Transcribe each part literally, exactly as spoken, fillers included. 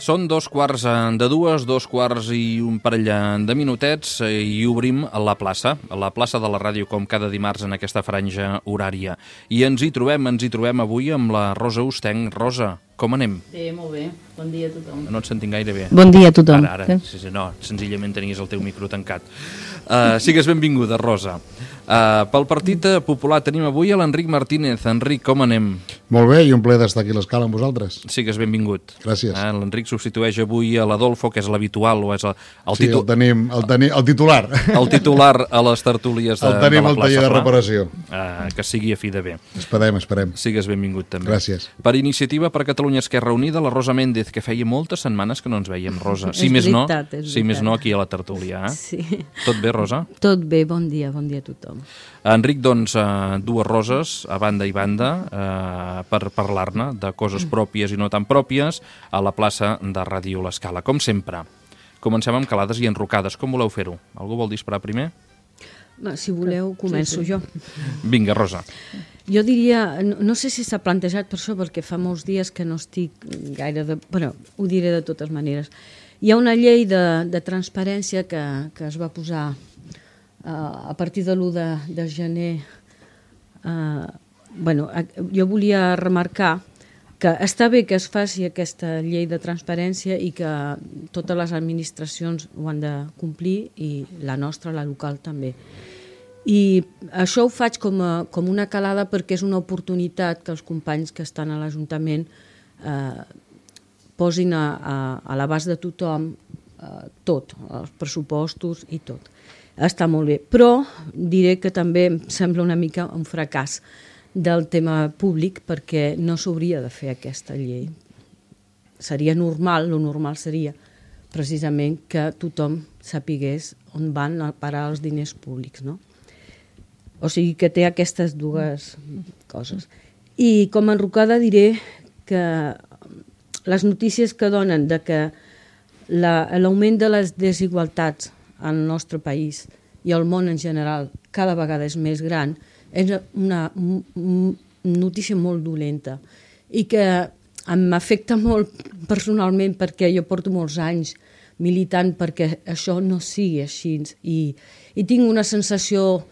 Són dos quarts de dues, dos quarts i un parell de minutets i obrim la plaça, la plaça de la ràdio com cada dimarts en aquesta franja horària. I ens hi trobem, ens hi trobem avui amb la Rosa Ostenc. Rosa, com anem? Bé, molt bé. Bon dia a tothom. No et sentim gaire bé. Bon dia a tothom. Ara, ara. Sí, sí, no, senzillament tenies el teu micro tancat. Uh, sigues benvinguda, Rosa. Uh, pel Partit Popular tenim avui a l'Enric Martínez. Enric, com anem? Molt bé, i un plaer d'estar aquí a l'escala amb vosaltres. Sigues benvingut. Gràcies. Uh, L'Enric substitueix avui a l'Adolfo, que és l'habitual, o és el, el, sí, titu... el tenim, el, teni... el titular. El titular a les tertúlies de, el tenim de la al plaça taller de Pla. reparació. Uh, que sigui a fi de bé. Esperem, esperem. Sigues benvingut també. Gràcies. Per Iniciativa per Catalunya Esquerra Unida, la Rosa Méndez, que feia moltes setmanes que no ens veiem, Rosa. Si més no, si més no aquí a la tertúlia. Eh? Sí. Tot bé, Rosa? Tot bé, bon dia, bon dia a tothom. Enric, doncs, uh, dues roses a banda i banda uh, per parlar-ne de coses pròpies i no tan pròpies a la plaça de Ràdio L'Escala. Com sempre, comencem amb calades i enrocades. Com voleu fer-ho? Algú vol disparar primer? Si voleu, començo jo. Vinga, Rosa. Jo diria, no, no sé si s'ha plantejat per això, perquè fa molts dies que no estic gaire de... Bueno, ho diré de totes maneres. Hi ha una llei de, de transparència que, que es va posar uh, a partir de l'u de, de gener. Uh, bueno, jo volia remarcar que està bé que es faci aquesta llei de transparència i que totes les administracions ho han de complir i la nostra, la local, també. I això ho faig com, a, com una calada perquè és una oportunitat que els companys que estan a l'Ajuntament eh, posin a, a, a l'abast de tothom eh, tot, els pressupostos i tot. Està molt bé, però diré que també em sembla una mica un fracàs del tema públic perquè no s'hauria de fer aquesta llei. Seria normal, lo normal seria precisament que tothom sapigués on van a parar els diners públics, no? O sigui que té aquestes dues coses. I com a enrocada diré que les notícies que donen de que l'augment de les desigualtats al nostre país i al món en general cada vegada és més gran és una notícia molt dolenta i que m'afecta molt personalment perquè jo porto molts anys militant perquè això no sigui així i, i tinc una sensació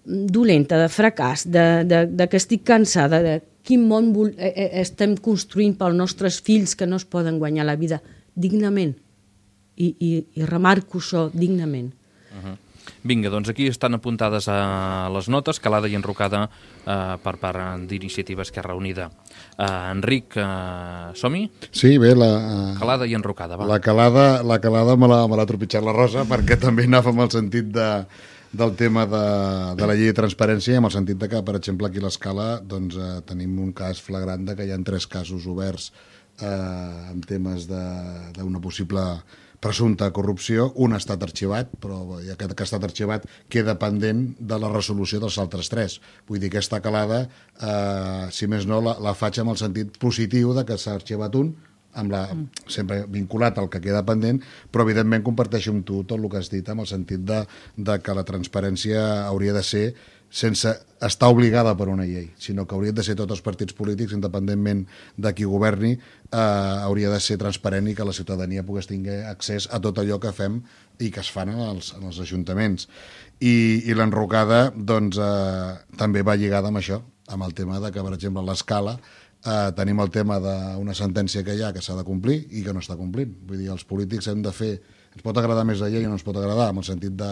dolenta, de fracàs, de, de, de que estic cansada, de quin món vol, eh, estem construint pels nostres fills que no es poden guanyar la vida dignament. I, i, i remarco això, dignament. Uh-huh. Vinga, doncs aquí estan apuntades a les notes, calada i enrocada eh, per part d'Iniciativa Esquerra Unida. Eh, Enric, eh, som-hi? Sí, bé, la... Uh, calada i enrocada, va. La calada, la calada me l'ha tropitjat la Rosa perquè també anava amb el sentit de... del tema de, de la llei de transparència, amb el sentit de que, per exemple, aquí a l'Escala doncs, eh, tenim un cas flagrant de que hi ha tres casos oberts eh, en temes d'una possible presumpta corrupció. Un ha estat arxivat, però aquest que ha estat arxivat queda pendent de la resolució dels altres tres. Vull dir, aquesta calada, eh, si més no, la, la faig amb el sentit positiu de que s'ha arxivat un, amb la, sempre vinculat al que queda pendent, però evidentment comparteixo amb tu tot el que has dit amb el sentit de, de que la transparència hauria de ser sense estar obligada per una llei, sinó que haurien de ser tots els partits polítics, independentment de qui governi, eh, hauria de ser transparent i que la ciutadania pogués tenir accés a tot allò que fem i que es fan en els, en els ajuntaments. I, i l'enrocada doncs, eh, també va lligada amb això, amb el tema de que, per exemple, a l'Escala Uh, tenim el tema d'una sentència que hi ha que s'ha de complir i que no està complint. Vull dir, els polítics hem de fer... Ens pot agradar més la llei o no ens pot agradar, en el sentit de...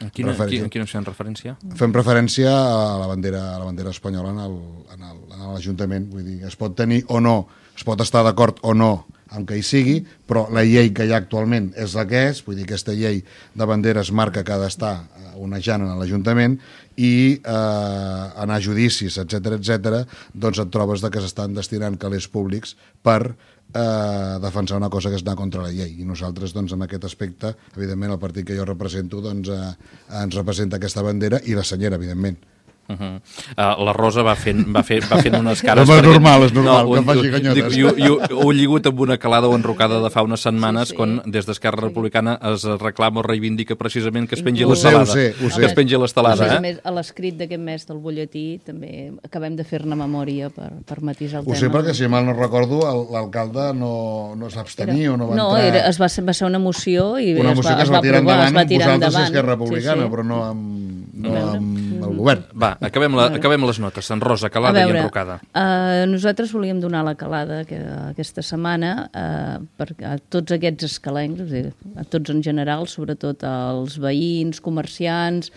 En quina, referència. Quina fem referència? Fem referència a la bandera, a la bandera espanyola en l'Ajuntament. Vull dir, es pot tenir o no, es pot estar d'acord o no amb que hi sigui, però la llei que hi ha actualment és la que és, vull dir, aquesta llei de banderes marca que ha d'estar onejant en l'Ajuntament i eh, anar a judicis, etcètera, etcètera, doncs et trobes de que s'estan destinant calés públics per eh, defensar una cosa que és anar contra la llei. I nosaltres, doncs, en aquest aspecte, evidentment, el partit que jo represento, doncs, eh, ens representa aquesta bandera i la senyera, evidentment. Uh -huh. uh, la Rosa va fent, va fer, va fent unes cares... No, és perquè... normal, és normal, no, que ho, faci ganyotes. I, i, i ho he lligut amb una calada o enrocada de fa unes setmanes, sí, sí. quan des d'Esquerra Republicana es reclama o reivindica precisament que es pengi Inclús... l'estelada. Ho sé, ho sé. Que es pengi l'estelada, A més a eh? més, a l'escrit d'aquest mes del butlletí també acabem de fer-ne memòria per, per matisar el Ho tema. sé perquè, si mal no recordo, l'alcalde no, no s'abstenir o no va no, entrar... era, es va, ser, va ser una moció i una es moció va, que es es va va tirar aprovar, endavant es va amb tirar vosaltres i endavant. Esquerra Republicana, sí, sí. però no amb, no A veure. amb el govern. Va, acabem, la, acabem les notes. En Rosa, calada veure, i enrocada. Uh, nosaltres volíem donar la calada que, aquesta setmana uh, per, a tots aquests escalencs, és a dir, a tots en general, sobretot als veïns, comerciants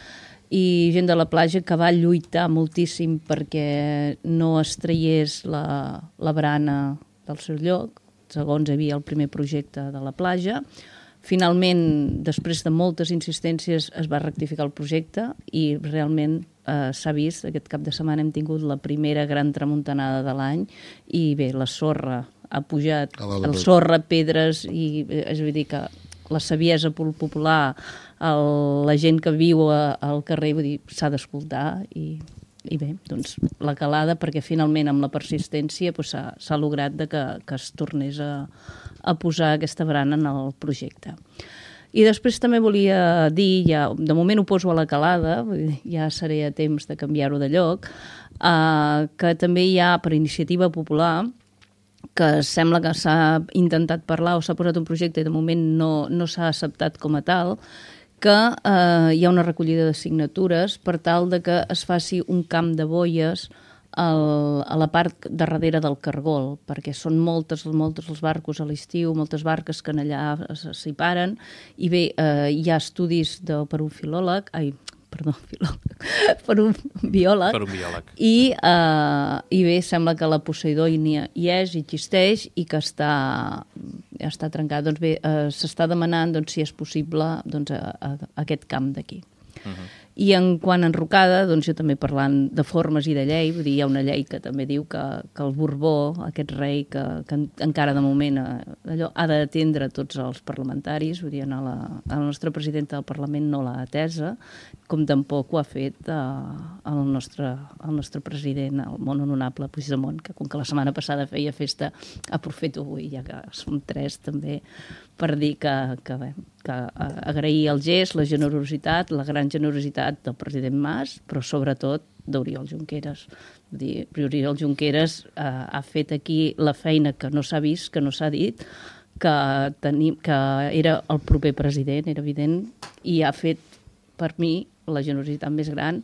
i gent de la platja que va lluitar moltíssim perquè no es traiés la, la barana del seu lloc, segons hi havia el primer projecte de la platja. Finalment, després de moltes insistències, es va rectificar el projecte i realment eh, s'ha vist, aquest cap de setmana hem tingut la primera gran tramuntanada de l'any i bé, la sorra ha pujat, el sorra, pedres i és a dir que la saviesa popular, el, la gent que viu a, al carrer, vull dir, s'ha d'escoltar i, i bé, doncs la calada perquè finalment amb la persistència doncs, s'ha doncs, lograt de que, que es tornés a a posar aquesta barana en el projecte. I després també volia dir, ja, de moment ho poso a la calada, ja seré a temps de canviar-ho de lloc, eh, que també hi ha per iniciativa popular, que sembla que s'ha intentat parlar o s'ha posat un projecte i de moment no, no s'ha acceptat com a tal, que eh, hi ha una recollida de signatures per tal de que es faci un camp de boies al, a la part de darrere del Cargol, perquè són moltes, moltes els barcos a l'estiu, moltes barques que en allà s'hi paren, i bé, eh, hi ha estudis de, per un filòleg, ai, perdó, filòleg, per un biòleg, per un biòleg. I, eh, i bé, sembla que la Poseidònia hi és, hi existeix, i que està, està trencat. Doncs bé, eh, s'està demanant doncs, si és possible doncs, a, a, a aquest camp d'aquí. Uh-huh. I en quant a enrocada, doncs jo també parlant de formes i de llei, vull dir, hi ha una llei que també diu que, que el Borbó, aquest rei que, que encara de moment allò, ha d'atendre tots els parlamentaris, vull dir, a la, a la nostra presidenta del Parlament no l'ha atesa, com tampoc ho ha fet eh, el, nostre, el nostre president, el molt honorable Puigdemont, que com que la setmana passada feia festa, aprofito avui, ja que som tres també, per dir que, que, bé, que agrair el gest, la generositat, la gran generositat del president Mas, però sobretot d'Oriol Junqueras. Vull dir, Oriol Junqueras eh, ha fet aquí la feina que no s'ha vist, que no s'ha dit, que, tenim, que era el proper president, era evident, i ha fet per mi la generositat més gran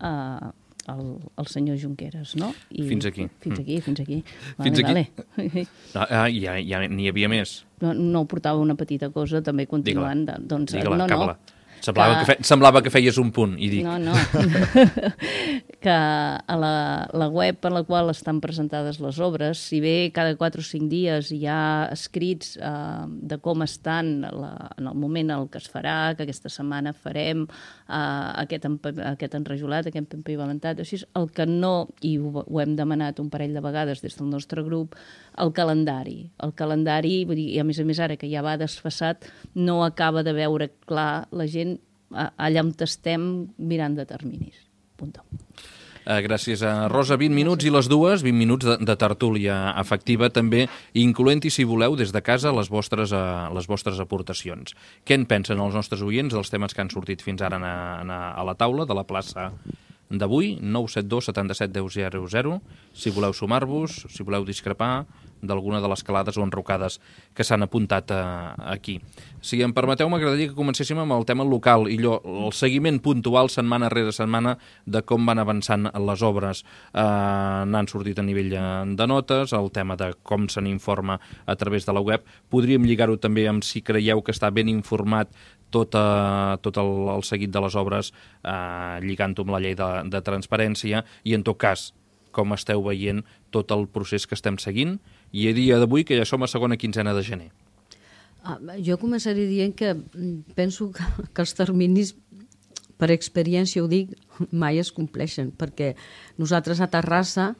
eh, el, el senyor Junqueras, no? I fins aquí. Fins aquí, fins aquí. Vale, fins aquí. Vale. Ah, ja, ja n'hi havia més. No, no portava una petita cosa, també continuant. Digue-la, doncs, digue-la, no, acaba-la. No. Semblava que, que, fe, semblava que feies un punt, i dic... No, no. que a la, la web en la qual estan presentades les obres, si bé cada quatre o cinc dies hi ha escrits eh, de com estan la, en el moment en què es farà, que aquesta setmana farem eh, aquest, aquest enrajolat, aquest empavimentat, així, el que no, i ho, ho hem demanat un parell de vegades des del nostre grup, el calendari. El calendari, vull dir, i a més a més ara que ja va desfassat, no acaba de veure clar la gent allà on estem mirant de terminis. Punto. Uh, gràcies a Rosa. vint minuts i les dues, vint minuts de, de tertúlia efectiva també, incloent-hi, si voleu, des de casa les vostres, uh, les vostres aportacions. Què en pensen els nostres oients dels temes que han sortit fins ara a, a, a la taula de la plaça d'avui? Nou set dos setanta-set deu zero zero, si voleu sumar-vos, si voleu discrepar d'alguna de les calades o enrocades que s'han apuntat uh, aquí. Si em permeteu, m'agradaria que comencéssim amb el tema local i allò, el seguiment puntual setmana rere setmana de com van avançant les obres. Uh, n'han sortit a nivell de notes, el tema de com se n'informa a través de la web. Podríem lligar-ho també amb si creieu que està ben informat tot, uh, tot el, el seguit de les obres, uh, lligant-ho amb la llei de, de transparència, i en tot cas, com esteu veient tot el procés que estem seguint, i a dia d'avui que ja som a segona quinzena de gener. Ah, jo començaré dient que penso que, que els terminis, per experiència ho dic, mai es compleixen, perquè nosaltres a Terrassa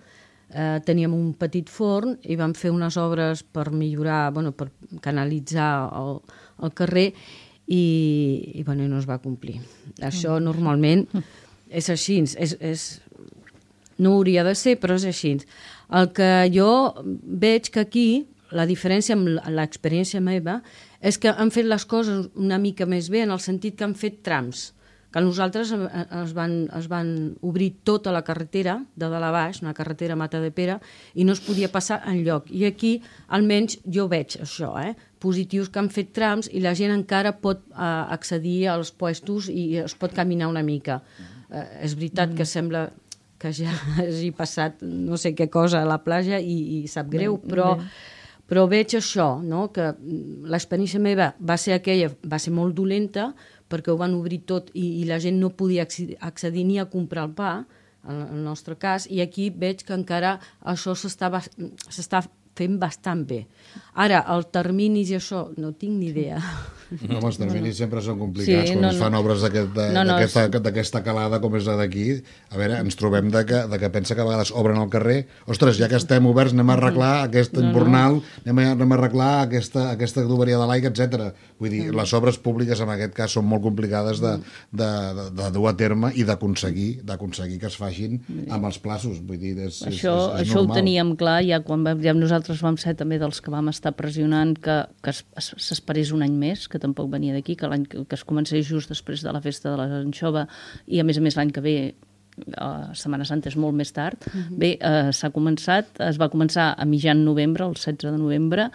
eh, teníem un petit forn i vam fer unes obres per millorar, bueno, per canalitzar el, el carrer i, i, bueno, no es va complir. Això normalment és així, és, és, no hauria de ser, però és així. El que jo veig que aquí, la diferència amb l'experiència meva, és que han fet les coses una mica més bé, en el sentit que han fet trams, que nosaltres es van, es van obrir tota la carretera de dalt a baix, una carretera Matadepera, i no es podia passar enlloc. I aquí, almenys, jo veig això, eh? positius que han fet trams i la gent encara pot eh, accedir als puestos i es pot caminar una mica. Eh, és veritat que sembla que ja hagi passat no sé què cosa a la platja i, i sap greu, però... Però veig això, no? Que l'experiència meva va ser aquella, va ser molt dolenta, perquè ho van obrir tot i, i la gent no podia accedir ni a comprar el pa, en el nostre cas, i aquí veig que encara això s'està fent bastant bé. Ara, els terminis i això, no tinc ni idea. No, els terminis sempre són complicats. Sí, quan no, es fan no. obres d'aquesta no, no, calada com és la d'aquí, a veure, ens trobem de que, de que pensa que a vegades obren al carrer, ostres, ja que estem oberts, anem a arreglar aquest no, embornal, no. anem, a, anem a arreglar aquesta, aquesta tuberia de l'aigua, etcètera. Vull dir, les obres públiques en aquest cas són molt complicades de, de, de, de dur a terme i d'aconseguir d'aconseguir que es facin amb els plaços. Vull dir, és, això, és, és, és això normal. Ho teníem clar ja quan vam, ja nosaltres vam ser també dels que vam estar pressionant que, que s'esperés un any més, que tampoc venia d'aquí, que l'any que es comencés just després de la festa de l'anxova i a més a més l'any que ve a Setmana Santa és molt més tard. Uh-huh. Bé, eh, s'ha començat, es va començar a mitjan novembre, el setze de novembre,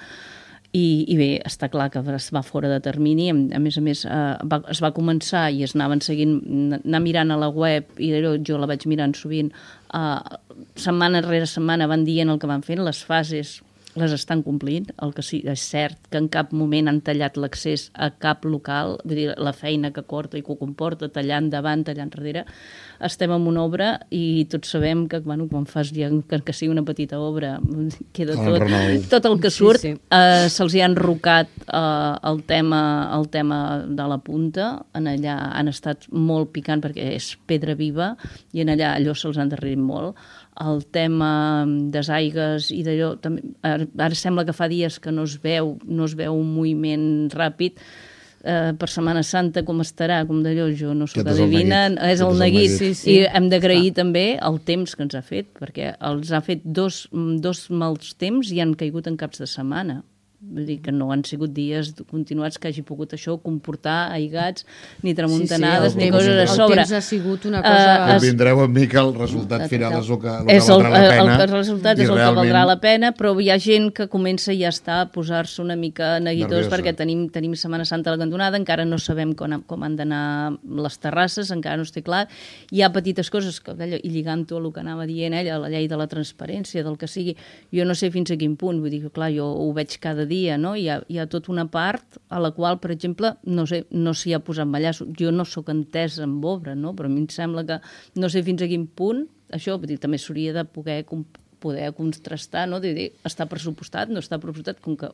i, i bé, està clar que es va fora de termini. A més a més, eh, va, es va començar i es anaven seguint, anar mirant a la web, i jo la vaig mirant sovint, eh, setmana rere setmana van dient el que van fent, les fases les estan complint, el que sí, és cert que en cap moment han tallat l'accés a cap local, vull dir, la feina que corta i que ho comporta, tallant davant, tallant darrere. Estem en una obra i tots sabem que, bueno, quan fas ja que, que sigui una petita obra, queda tot, tot el que surt. Sí, sí. Eh, se'ls hi ha enrocat eh, el, tema, el tema de la punta, en allà han estat molt picant perquè és pedra viva i en allà allò se'ls ha endarrerit molt. El tema des aigues i d'allò, ara, ara sembla que fa dies que no es veu, no es veu un moviment ràpid. Eh, per Setmana Santa com estarà, com d'allò, jo no sóc adivina, és el neguit, sí, sí. I hem d'agrair ah. també el temps que ens ha fet, perquè els ha fet dos, dos mals temps i han caigut en caps de setmana. Vull dir que no han sigut dies continuats que hagi pogut això comportar aigats, ni tramuntanades, sí, sí, ni coses a sobre. El temps ha sigut una cosa... Uh, Convindreu amb mi que el resultat final és el que, el que és valdrà el, la pena. El, el resultat és el realment... que valdrà la pena, però hi ha gent que comença ja a estar a posar-se una mica neguitós perquè tenim, tenim Setmana Santa a la cantonada, encara no sabem com, com han d'anar les terrasses, encara no estic clar. Hi ha petites coses, que, i lligant-ho a el que anava dient ella, la llei de la transparència, del que sigui, jo no sé fins a quin punt, vull dir que clar, jo ho veig cada dia, dia, no? Hi ha, hi ha tota una part a la qual, per exemple, no sé, no s'hi ha posat mallasso. Jo no sóc entesa en obra, no? Però a mi em sembla que no sé fins a quin punt, això dir, també s'hauria de poder, poder contrastar, no? Dir, dir, està pressupostat, no està pressupostat, com que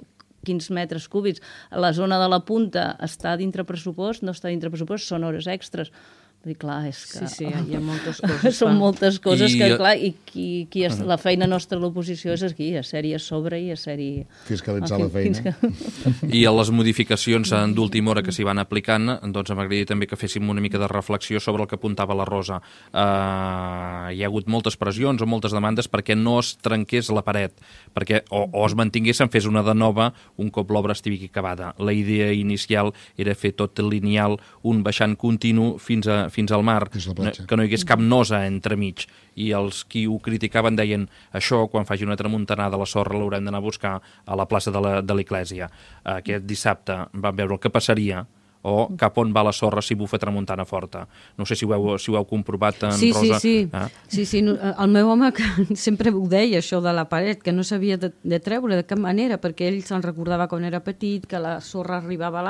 quins metres cúbics. A la zona de la punta està dintre pressupost, no està dintre pressupost, són hores extres. Vull dir, clar, és que... Sí, sí, hi ha moltes coses. Són moltes coses I... que, clar, i qui, qui és, la feina nostra a l'oposició és aquí, a ser-hi a sobre i a ser-hi... Fiscalitzar la feina. Que... I a les modificacions d'última hora que s'hi van aplicant, doncs m'agradaria també que féssim una mica de reflexió sobre el que apuntava la Rosa. Uh, hi ha hagut moltes pressions o moltes demandes perquè no es trenqués la paret, perquè o, o es mantingués, se'n fes una de nova un cop l'obra estigui acabada. La idea inicial era fer tot lineal, un baixant continu fins a fins al mar, que no hi hagués cap nosa entremig. I els qui ho criticaven deien això, quan faci una tramuntanada la sorra l'haurem d'anar a buscar a la plaça de l'església. Aquest dissabte vam veure el que passaria o cap on va la sorra si bufa tramuntana forta. No sé si ho heu, si ho heu comprovat, en sí, Rosa. Sí, sí, ah? sí, sí. El meu home que sempre ho deia, això de la paret, que no s'havia de, de treure de cap manera, perquè ell se'n recordava quan era petit, que la sorra arribava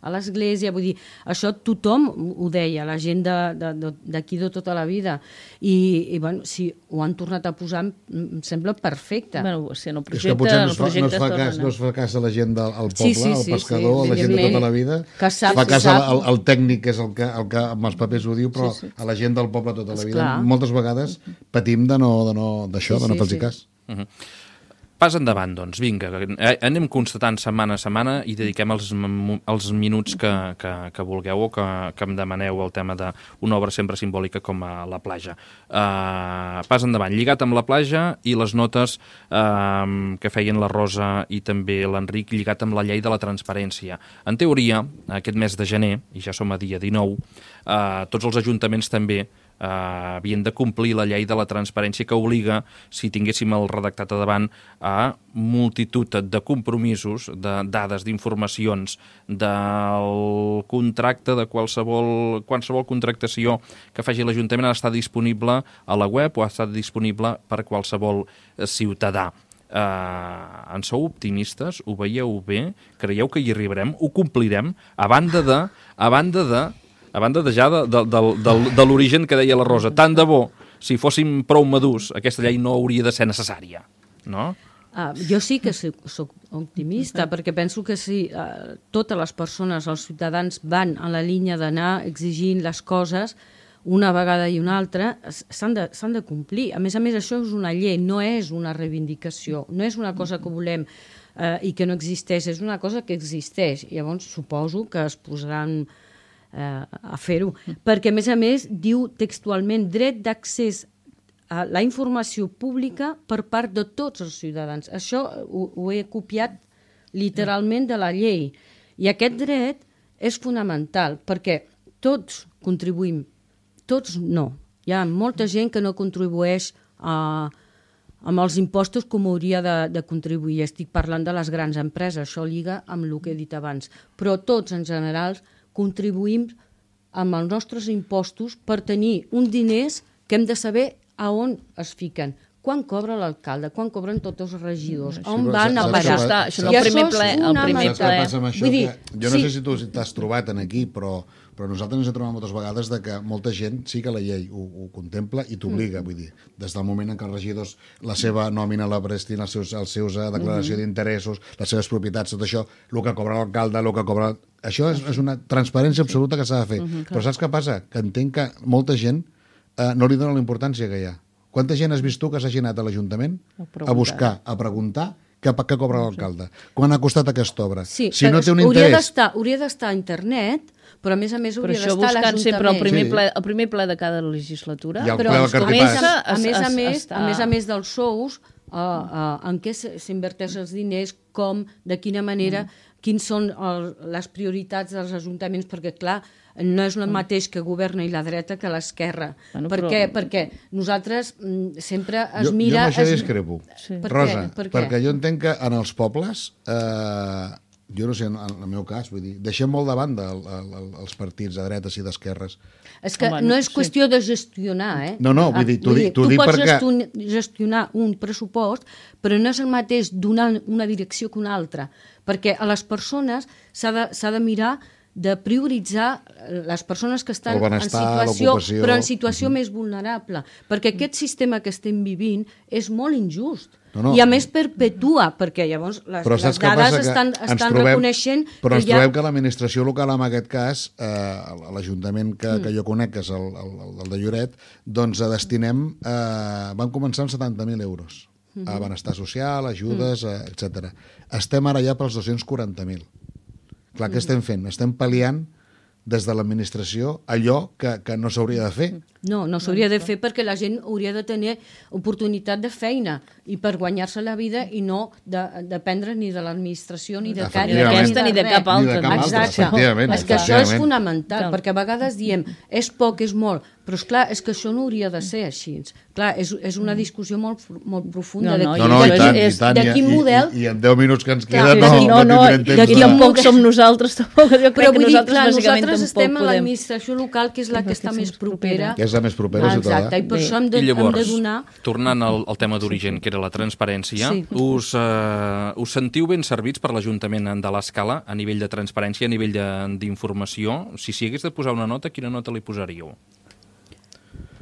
a l'església, vull dir, això tothom ho deia, la gent d'aquí de, de tota la vida. I, i bueno, si ho han tornat a posar, em sembla perfecte. Bueno, si en el projecte... És que potser no es fa, no es fa, cas, no es fa cas a la gent del poble, sí, sí, sí, al pescador, sí, sí, a la gent de tota la vida, que sap, fa cas al, al tècnic, que és el que, el que amb els papers ho diu, però sí, sí. a la gent del poble tota la vida, moltes vegades patim de no, de no, d'això, sí, de no fer-los sí. cas. Uh-huh. pas endavant, doncs, vinga, anem constatant setmana a setmana i dediquem els, els minuts que, que, que vulgueu o que, que em demaneu el tema d'una obra sempre simbòlica com a la platja. Uh, pas endavant, lligat amb la platja i les notes uh, que feien la Rosa i també l'Enric, lligat amb la llei de la transparència. En teoria, aquest mes de gener, i ja som a dia dinou, uh, tots els ajuntaments també Uh, havien de complir la llei de la transparència que obliga, si tinguéssim el redactat a davant, a multitud de compromisos, de dades, d'informacions, del contracte, de qualsevol, qualsevol contractació que faci l'Ajuntament ha d'estar disponible a la web o ha d'estar disponible per qualsevol ciutadà. Uh, en sou optimistes? Ho veieu bé? Creieu que hi arribarem? Ho complirem? A banda de... A banda de a banda de ja de, de, de, de, de l'origen que deia la Rosa, tant de bo, si fóssim prou madurs, aquesta llei no hauria de ser necessària, no? Uh, jo sí que soc, soc optimista, perquè penso que si uh, totes les persones, els ciutadans, van a la línia d'anar exigint les coses una vegada i una altra, s'han de, s'han de complir. A més a més, això és una llei, no és una reivindicació, no és una cosa que volem uh, i que no existeix, és una cosa que existeix. Llavors, suposo que es posaran a fer-ho, perquè a més a més diu textualment dret d'accés a la informació pública per part de tots els ciutadans. Això ho, ho he copiat literalment de la llei i aquest dret és fonamental perquè tots contribuïm, tots no. Hi ha molta gent que no contribueix a, amb els impostos com hauria de, de contribuir. Estic parlant de les grans empreses, això lliga amb el que he dit abans, però tots en general contribuïm amb els nostres impostos per tenir uns diners que hem de saber a on es fiquen. Quan cobra l'alcalde, quan cobren tots els regidors, on van a parar. Això, això no, el primer ple. El primer ple. Saps què passa amb això? Dir, que jo no sí. sé si tu t'has trobat en aquí, però, però nosaltres ens hem trobat moltes vegades de que molta gent sí que la llei ho, ho contempla i t'obliga, mm. vull dir, des del moment en què els regidors la seva nòmina la prestin, els seus, els seus uh, declaració mm. d'interessos, les seves propietats, tot això, el que cobra l'alcalde, el que cobra... Això és, és una transparència absoluta que s'ha de fer. Mm-hmm, però saps què passa? Que entenc que molta gent eh, no li dona la importància que hi ha. Quanta gent has vist tu que s'hagi anat a l'Ajuntament a, a buscar, a preguntar què, què cobra l'alcalde? Quan ha costat aquesta obra? Sí, si no té un hauria interès... hauria d'estar a internet, però a més a més hauria d'estar a l'Ajuntament. Però això buscant sempre el primer, sí. ple, el primer ple de cada legislatura. I el però ple del Cartipàs. A, a, més a, més, a més a més dels sous, uh, uh, en què s'inverteix els diners, com, de quina manera... Mm. Quins són el, les prioritats dels ajuntaments, perquè, clar, no és el mateix que governa i la dreta que l'esquerra. Bueno, per però... què? Perquè nosaltres mm, sempre es jo, mira... Jo amb això es... discrepo. Sí. Per Rosa, què? Per perquè jo entenc que en els pobles, eh, jo no sé, en el meu cas, vull dir, deixem molt de banda el, el, els partits de dretes i d'esquerres. És que Home, no és qüestió sí. de gestionar, eh? No, no, vull dir, t'ho dic, tu dic pots perquè... Tu gestionar un pressupost, però no és el mateix donar una direcció que una altra, perquè a les persones s'ha de, s'ha de mirar de prioritzar les persones que estan en situació, però en situació uh-huh. més vulnerable, perquè aquest sistema que estem vivint és molt injust. No, no. I a més perpetua, perquè llavors les, les dades estan, estan trobem, reconeixent però que ens hi ha... trobem que l'administració local, en aquest cas, eh, l'Ajuntament que, mm. que jo conec, que és el, el, el de Lloret, doncs destinem, eh, van començar amb setanta mil euros mm-hmm. a benestar social, ajudes, mm. eh, etcètera. Estem ara ja pels dos-cents quaranta mil. Clar, què estem fent? Estem pal·liant des de l'administració allò que, que no s'hauria de fer. No, no s'hauria de fer perquè la gent hauria de tenir oportunitat de feina i per guanyar-se la vida i no de, dependre ni de l'administració ni de cap, ni d'aquesta ni de cap altra. Ni de cap altra, efectivament. És que això és fonamental, perquè a vegades diem és poc, és molt, però és clar, és que això no hauria de ser així. Clar, és, és una discussió molt, molt profunda. No, no, no, no, i tant, i tant. De quin model... I, i en deu minuts que ens queden no, no, no, no tindrem temps. I tampoc som nosaltres, tampoc. Jo crec que nosaltres bàsicament nosaltres estem a l'administració local, que és la que està més propera. Que és la més propera, ciutadà. Exacte, i per això hem de, I llavors, hem de donar... tornant al, al tema d'origen, que era la transparència, sí. us, uh, us sentiu ben servits per l'Ajuntament de l'Escala a nivell de transparència, a nivell d'informació? Si s'hi hagués de posar una nota, quina nota li posaríeu?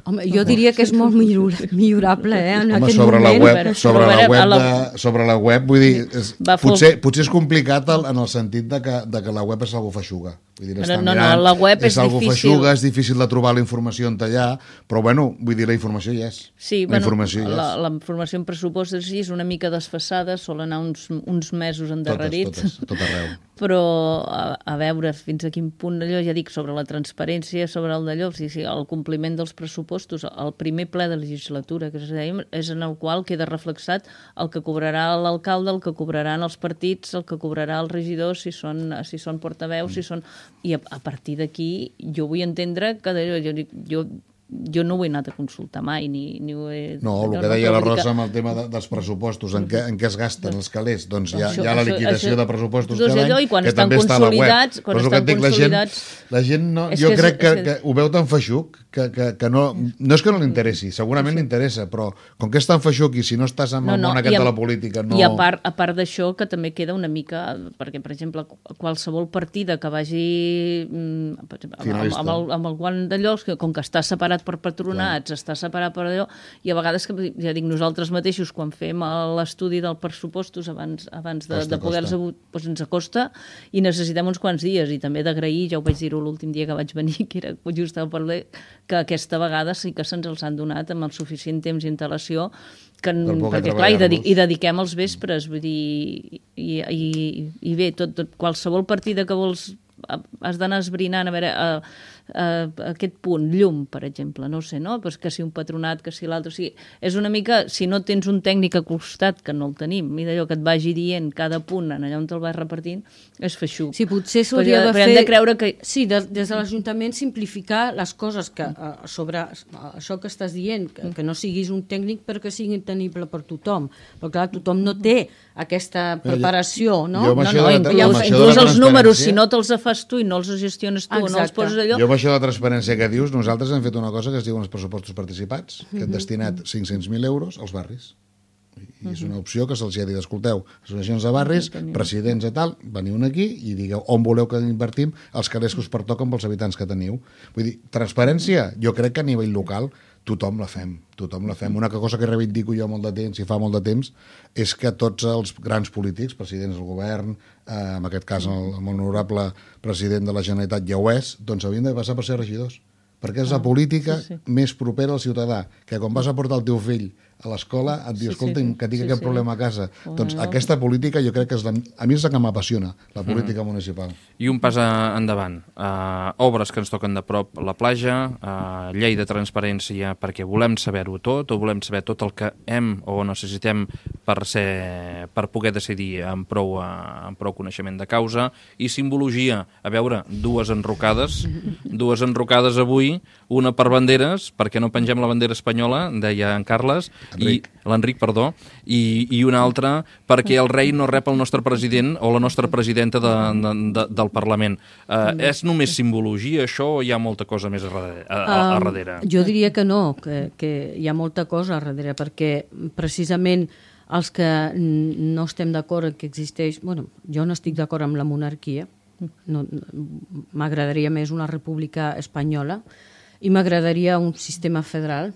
Home, jo diria que és molt millorable, eh, en Home, aquest sobre moment. La web, sobre, la web de, sobre la web, vull dir, és, potser, potser és complicat el, en el sentit de que, de que la web és algo feixuga. Vull dir, No, estan no, no, mirant, la web és és algo difícil. feixuga, és difícil de trobar la informació on allà, però bueno, vull dir, la informació hi és. Sí, la bueno, informació hi és. la, la informació en pressupost sí, és una mica desfassada, sol anar uns, uns mesos endarrerits. Totes, totes, tot arreu. Però a, a veure fins a quin punt allò, ja dic, sobre la transparència, sobre el d'allò, sí, sí, el compliment dels pressupostos, el primer ple de legislatura, que dèiem, és en el qual queda reflexat el que cobrarà l'alcalde, el que cobraran els partits, el que cobrarà els regidors, si són, si són portaveus, si són... I a, a partir d'aquí jo vull entendre que jo, jo, jo no ho he anat a consultar mai, ni, ni ho he... No, el no, que no, deia la vull dir Rosa que- amb el tema de, dels pressupostos, en què, en què es gasten els calés, doncs hi ha, Això- hi ha la això- liquidació això- de pressupostos doncs cada allò, any, i quan que estan també està a la web. consolidats- quan Però és el estan que et dic, la gent, consolidats- la gent no, És jo que és- crec que, és que- que ho veu tan feixuc que, que, que no, no és que no li interessi, segurament li interessa, però com que és tan feixuc i si no estàs amb el món aquest i a- de la política no... I a part, a part d'això, que també queda una mica... Perquè, per exemple, qualsevol partida que vagi mm, per exemple, amb, Finalista. amb, el, amb el guant d'allò, que com que està separat per patronats, està separat per allò, i a vegades, que ja dic, nosaltres mateixos, quan fem l'estudi dels pressupostos abans, abans de, Costa, de poder-los... costa. Doncs ens acosta i necessitem uns quants dies, i també d'agrair, ja ho vaig dir-ho l'últim dia que vaig venir, que era just al parler, que aquesta vegada sí que se'ns els han donat amb el suficient temps i antelació, que, Per poder perquè clar, hi, dedic, treballar-los. hi dediquem els vespres, vull dir, i, i, i bé, tot, tot, qualsevol partida que vols has d'anar esbrinant a veure a, a, a aquest punt, llum, per exemple, no ho sé, no? Pues que si un patronat, que si l'altre, o sigui, és una mica, si no tens un tècnic al costat, que no el tenim, i d'allò que et vagi dient cada punt en allà on te'l vas repartint, és feixuc. Sí, potser s'hauria Però de hem fer... de creure que... Sí, de, des de l'Ajuntament simplificar les coses que, eh, sobre això que estàs dient, que, que no siguis un tècnic perquè sigui tenible per tothom. Però clar, tothom no té aquesta preparació, no? jo amb No, això no, de la- inclús, amb això de la inclús els números, transparència- si no te'ls fas tu i no els gestiones tu, no els Exacte. poses allò... Jo amb això de la transparència que dius, nosaltres hem fet una cosa que es diuen els pressupostos participats, que hem destinat cinc-cents mil euros als barris. I és una opció que se'ls ha dit, escolteu, associacions de barris, presidents i tal, veniu aquí i digueu on voleu que invertim els calés que us pertoquen pels habitants que teniu. Vull dir, transparència, jo crec que a nivell local tothom la fem, tothom la fem. Una cosa que reivindico jo molt de temps, i fa molt de temps, és que tots els grans polítics, presidents del govern, eh, en aquest cas el, el molt honorable president de la Generalitat ja ho és, doncs haurien de passar per ser regidors. Perquè és la política sí, sí. més propera al ciutadà, que quan vas a portar el teu fill a l'escola et diu, Sí, sí, escolta, sí. que tinc Sí, aquest sí. problema a casa. Oh, Doncs no. aquesta política jo crec que és la, a mi és la que m'apassiona, la política municipal. I un pas a- endavant. Uh, obres que ens toquen de prop la platja, uh, llei de transparència perquè volem saber-ho tot, o volem saber tot el que hem o necessitem per, ser, per poder decidir amb prou, uh, amb prou coneixement de causa, i simbologia. A veure, dues enrocades, dues enrocades avui, una per banderes, perquè no pengem la bandera espanyola, deia en Carles, Enric. i l'Enric, perdó, i, i una altra perquè el rei no rep el nostre president o la nostra presidenta de, de, de, del Parlament. Uh, és només simbologia, això, o hi ha molta cosa més a darrere? A, a, a darrere? Um, jo diria que no, que, que hi ha molta cosa a darrere, perquè precisament els que n- no estem d'acord que existeix... Bueno, jo no estic d'acord amb la monarquia, no, m'agradaria més una república espanyola i m'agradaria un sistema federal.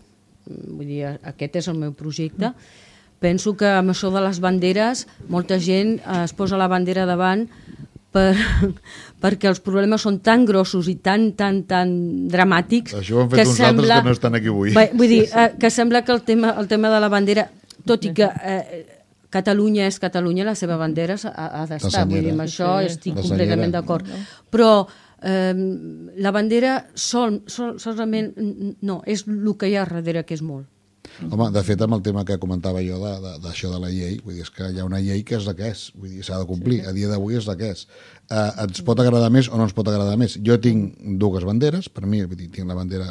Vull dir, aquest és el meu projecte. Penso que amb això de les banderes molta gent eh, es posa la bandera davant per, perquè els problemes són tan grossos i tan, tan, tan dramàtics Això ho han fet uns altres que no estan aquí avui. Bé, vull dir, eh, que sembla que el tema, el tema de la bandera, tot i que eh, Catalunya és Catalunya, la seva bandera ha, ha d'estar, vull dir, amb això Sí, sí. estic La completament senyera. d'acord. Però eh, la bandera sol, sol, solament, no, és el que hi ha darrere, que és molt. Home, de fet, amb el tema que comentava jo de- de- d'això de, de la llei, vull dir, és que hi ha una llei que és la que és, vull dir, s'ha de complir, a dia d'avui és la que és. Eh, ens pot agradar més o no ens pot agradar més. Jo tinc dues banderes, per mi, vull dir, tinc la bandera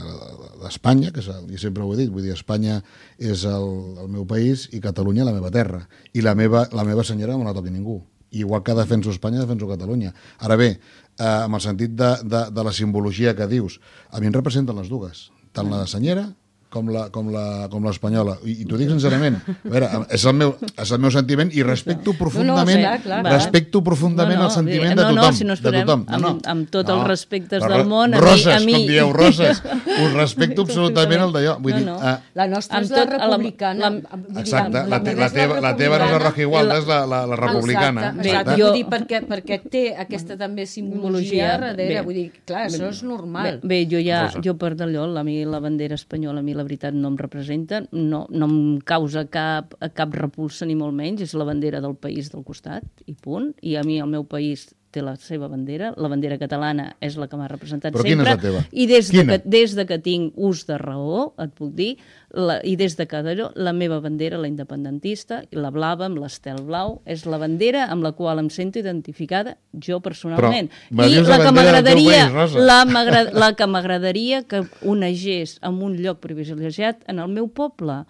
d'Espanya, que és el, i sempre ho he dit, vull dir, Espanya és el, el meu país i Catalunya la meva terra, i la meva, la meva senyora no me la toqui ningú. Igual que defenso Espanya, defenso Catalunya. Ara bé, eh, amb el sentit de, de, de la simbologia que dius, a mi em representen les dues, tant la de senyera com la, com la, com l'espanyola. I, i t'ho dic sincerament. A veure, és el meu, és el meu sentiment i respecto profundament, no, no, clar, clar. respecto profundament no, no, el sentiment no, de tothom. No, si no de tothom. amb, No, no. amb tot no. els respectes Però, del món, a roses, mi... A mi... com dieu, roses. Us respecto absolutament el d'allò. Vull No, dir, no. uh, La nostra Amb és la tot- la- republicana. la- Vull dir, exacte, la, la te, meva la, és teva, la teva no és la Roja Igualda, és la, la, la republicana. Exacte, Bé, exacte. jo- Vull dir, perquè, perquè té aquesta també simbologia darrere. Bé. Vull dir, clar, això és normal. Bé, bé jo ja, Rosa. jo per d'allò, a mi la bandera espanyola, a mi la veritat no em representa, no, no em causa cap, cap repulsa ni molt menys, és la bandera del país del costat, i punt, i a mi el meu país té la seva bandera, la bandera catalana és la que m'ha representat Però quina sempre. és la teva? I des de, Quina? que, des de que tinc ús de raó, et puc dir, la, i des de que d'allò, la meva bandera, la independentista, i la blava amb l'estel blau, és la bandera amb la qual em sento identificada jo personalment. Però me I dius la la que bandera del teu m'agradaria, país, Rosa. la, m'agra- la que m'agradaria que onegés en un lloc privilegiat en el meu poble,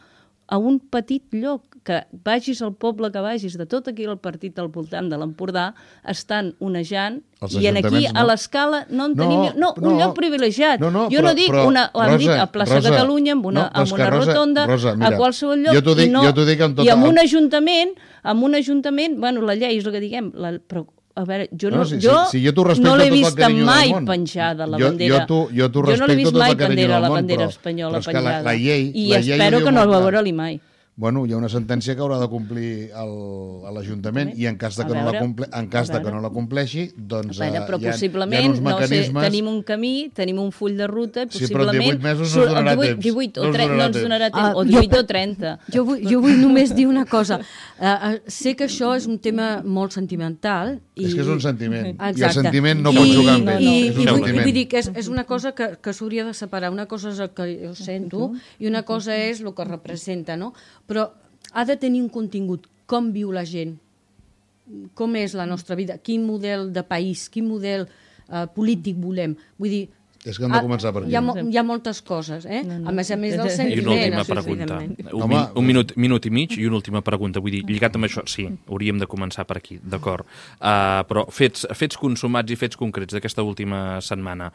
a un petit lloc, que vagis al poble que vagis, de tot aquí el partit al voltant de l'Empordà, estan onejant, Els i en aquí, ajuntaments, no? a l'escala, no en No, tenim... No, un no. lloc privilegiat. No, no, jo però- no dic, però, una, ho hem Rosa, dit a plaça Rosa, Catalunya, amb una, no, però és amb que, una Rosa, rotonda, Rosa, mira, a qualsevol lloc, jo t'ho dic- i, no, jo t'ho dic amb tota i amb el- un ajuntament, amb un ajuntament, bueno, la llei és el que diguem, la, però a veure, jo, no, No, si- jo, si- si jo t'ho respecto no l'he tot el vist carinyo del mai món. penjada la Jo- bandera. jo t'ho- jo t'ho jo no l'he respecto vist tot el mai carinyo bandera, del la món, bandera però- espanyola però és que la- penjada. la llei- I la llei espero ho diu que no molt la clar. veurà-li mai. Bueno, hi ha una sentència que haurà de complir el- a l'Ajuntament i en cas de A que, no, veure, la comple en cas a de que veure. no la compleixi, doncs A veure, però eh, hi ha, possiblement, hi ha uns no sé, mecanismes... tenim un camí, tenim un full de ruta, Sí, però en possiblement... divuit mesos no ens surt- donarà divuit, temps. divuit o No ens tre- no donarà ens temps. donarà temps, Ah, o jo divuit pe- o trenta. Jo vull, jo vull només dir una cosa. Uh, uh, sé que això és un tema molt sentimental. I, És que és un sentiment. Exacte. I el sentiment no I, pot jugar amb ell. I, és un i, vull, sentiment. vull dir que és, és una cosa que, que s'hauria de separar. Una cosa és el que jo sento i una cosa és el que representa, no? Però ha de tenir un contingut. Com viu la gent? Com és la nostra vida? Quin model de país? Quin model uh, polític volem? Vull dir, És que hem de començar per aquí. hi ha, mo- hi ha moltes coses, eh? No, no. A més a més del I sentiment. I una última això, pregunta. evidentment. Un, Home, min, un minut, minut i mig i una última pregunta. Vull dir, lligat amb això, sí, hauríem de començar per aquí, d'acord. Uh, però fets, fets consumats i fets concrets d'aquesta última setmana.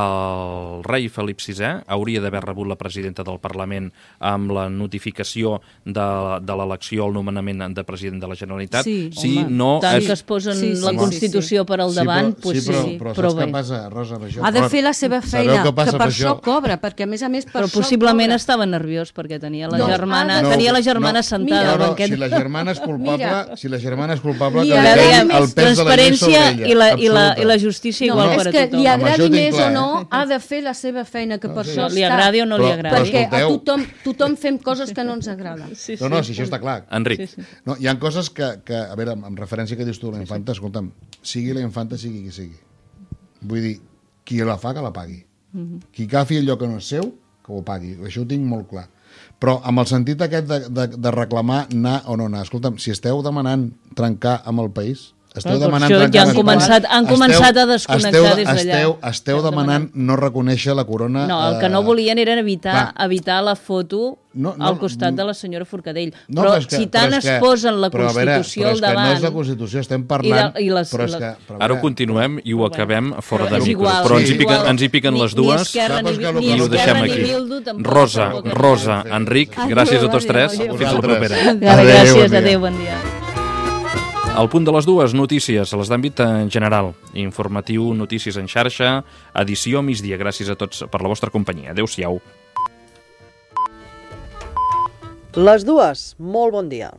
El rei Felip sisè hauria d'haver rebut la presidenta del Parlament amb la notificació de, de l'elecció al nomenament de president de la Generalitat. Sí, si Home, no tant és... que es posen Sí, sí, la sí, Constitució sí. per al davant, sí, pues sí, però, sí, però, però saps bé. què passa, Rosa, amb això? Ha de Però- fer la seva sabeu feina, què passa que per amb això cobra, perquè a més a més per Però això possiblement cobra. estava nerviós perquè tenia la No, germana, ha de- tenia la no, germana no, sentada no, al no, banquet. si la germana és culpable, Mira. si la germana és culpable, Li que li agrada caigui més el pes de la llei transparència sobre ella. i la, i, la, absoluta. i la justícia No, igual és per a que tothom. li Amb això agradi ho tinc més clar, o no, eh? ha de fer la seva feina, que per sí. això Li està. agradi o no li Però- agradi. però Perquè a escolteu. tothom, tothom fem coses que no ens agraden. Sí, No, no, si això està clar. Enric, Sí, sí. No, hi ha coses que, que a veure, amb referència que dius tu, la infanta, escolta'm, sigui la infanta, sigui qui sigui. Vull dir, qui la fa, que la pagui. Qui agafi allò que no és seu, que ho pagui. Això ho tinc molt clar. Però amb el sentit aquest de, de, de reclamar anar o no anar, escolta'm, si esteu demanant trencar amb el país, esteu Clar, per demanant això trencar ja han amb el començat- país, han esteu- començat a desconnectar esteu, des d'allà. Esteu, esteu Estem demanant no reconèixer la corona... No, el que no eh, volien era evitar, clar. evitar la foto No, no, al costat de la senyora Forcadell. No, però és que- si tant però és es que- posen la però a veure, Constitució però al és que no davant... és la Constitució, estem parlant... I de- i les- però és les- que, però a ara ho veure, continuem i ho acabem fora de és micro. igual, Però sí, ens hi piquen, igual. ens hi piquen Ni- les ni dues Esquerra Saps ni, que el ni que i ho no deixem Esquerra ni aquí. Bildu tampoc Rosa, tampoc. Rosa, Enric, Adéu, gràcies a tots adéu, tres. adéu. Fins la propera. Adéu, Gràcies, bon dia. adéu, bon dia. Al punt de les dues, notícies, les d'àmbit en general. Informatiu, notícies en xarxa, edició migdia. Gràcies a tots per la vostra companyia. Adéu-siau. Les dues, molt bon dia.